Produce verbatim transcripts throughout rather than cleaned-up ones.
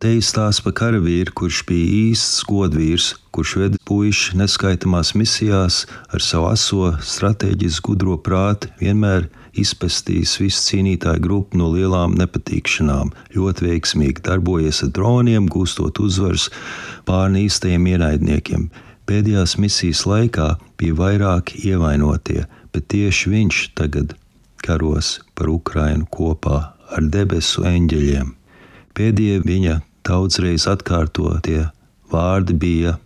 Te izstāsta par karavīru, kurš bija īsts godvīrs, kurš veda puiši neskaitamās misijās ar savu aso, stratēģisku gudro prātu, vienmēr izpestījis visu cīnītāju grupu no lielām nepatīkšanām, ļoti veiksmīgi darbojies ar droniem, gūstot uzvaras pār īstajiem ienaidniekiem. Pēdējās misijas laikā bija vairāki ievainotie, bet tieši viņš tagad karos par Ukrainu kopā ar debesu eņģeļiem. Pēdējie viņa daudzreiz atkārtotie vārdi bija: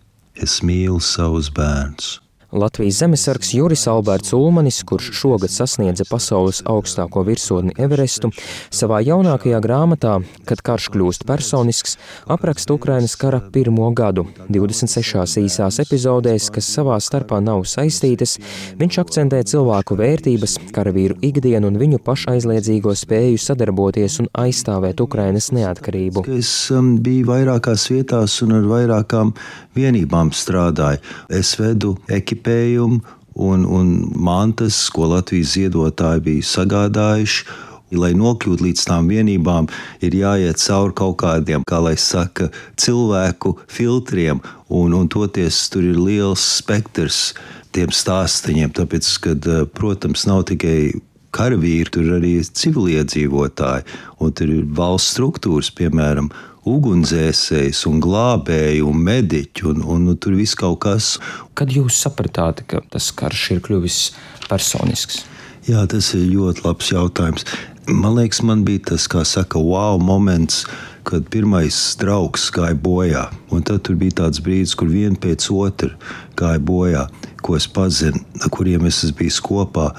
es mīlu savus bērnus. Latvijas zemesargs Juris Alberts Ulmanis, kurš šogad sasniedza pasaules augstāko virsotni Everestu, savā jaunākajā grāmatā, Kad karš kļūst personisks, apraksta Ukrainas kara pirmo gadu. divdesmit sešās īsās epizodēs, kas savā starpā nav saistītas, viņš akcentē cilvēku vērtības, karavīru ikdienu un viņu pašaizliedzīgo spēju sadarboties un aizstāvēt Ukrainas neatkarību. Es um, biju vairākās vietās un ar vairākām vienībām strādāju. Es vedu ekipējumu un, un mantas, ko Latvijas ziedotāji bija sagādājuši. Lai nokļūtu līdz tām vienībām, ir jāiet cauri kaut kādiem, kā lai saka, cilvēku filtriem, un, un toties tur ir liels spektrs tiem stāstiņiem, tāpēc, kad, protams, nav tikai karavīri, tur ir arī civiliedzīvotāji, un tur ir valsts struktūras, piemēram, ugunsdzēsējs un glābēji un mediķi, un, un, un tur viss kaut kas. Kad jūs sapratāt, ka tas karš ir kļuvis personisks? Jā, tas ir ļoti labs jautājums. Man liekas, man bija tas, kā saka, wow moments, kad pirmais draugs gāja bojā. Un tad tur bija tāds brīdis, kur viena pēc otra gāja bojā, ko es pazinu, ar kuriem es esmu bijis kopā.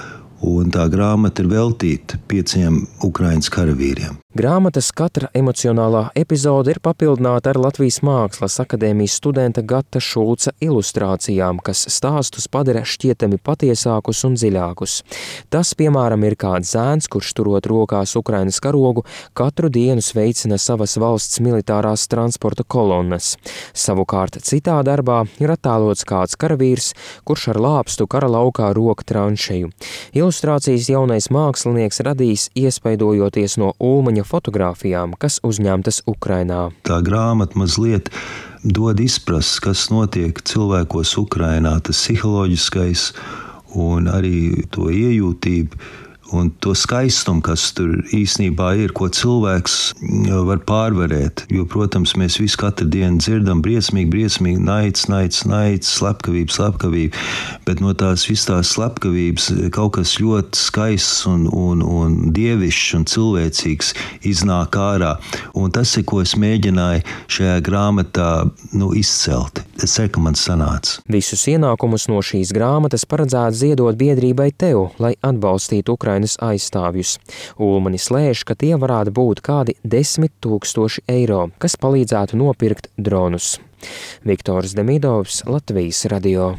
Un tā grāmata ir veltīta pieciem Ukrainas karavīriem. Grāmatas katra emocionālā epizode ir papildināta ar Latvijas Mākslas akadēmijas studenta Gata Šulca ilustrācijām, kas stāstus padara šķietami patiesākus un dziļākus. Tas, piemēram, ir kāds zēns, kurš turot rokās Ukrainas karogu, katru dienu sveicina savas valsts militārās transporta kolonnas. Savukārt citā darbā ir attēlots kāds karavīrs, kurš ar lāpstu kara laukā rok tranšeju. Ilustrācijas jaunais mākslinieks radīs iespaidojoties no Ulmaņa fotogrāfijām, kas uzņemtas Ukrainā. Tā grāmata mazliet dod izprast, kas notiek cilvēkos Ukrainā, tas psiholoģiskais un arī to iejūtību un to skaistumu, kas tur īsnībā ir, ko cilvēks var pārvarēt. Jo, protams, mēs visi katru dienu dzirdam briesmīgi, briesmīgi, naids, naids, naids, slepkavība, slepkavība, bet no tās visas tās slepkavības kaut kas ļoti skaists un, un, un dievišķs un cilvēcīgs iznāk ārā. Un tas ir, ko es mēģināju šajā grāmatā nu, izcelt. Es ceru, ka man sanāca. Visus ienākumus no šīs grāmatas paredzēts ziedot biedrībai Teo, lai atbalstītu Ukrainas aizstāvjus. Ulmanis lēš, ka tie varētu būt kādi desmit tūkstoši eiro, kas palīdzētu nopirkt dronus. Viktors Demidovs, Latvijas radio.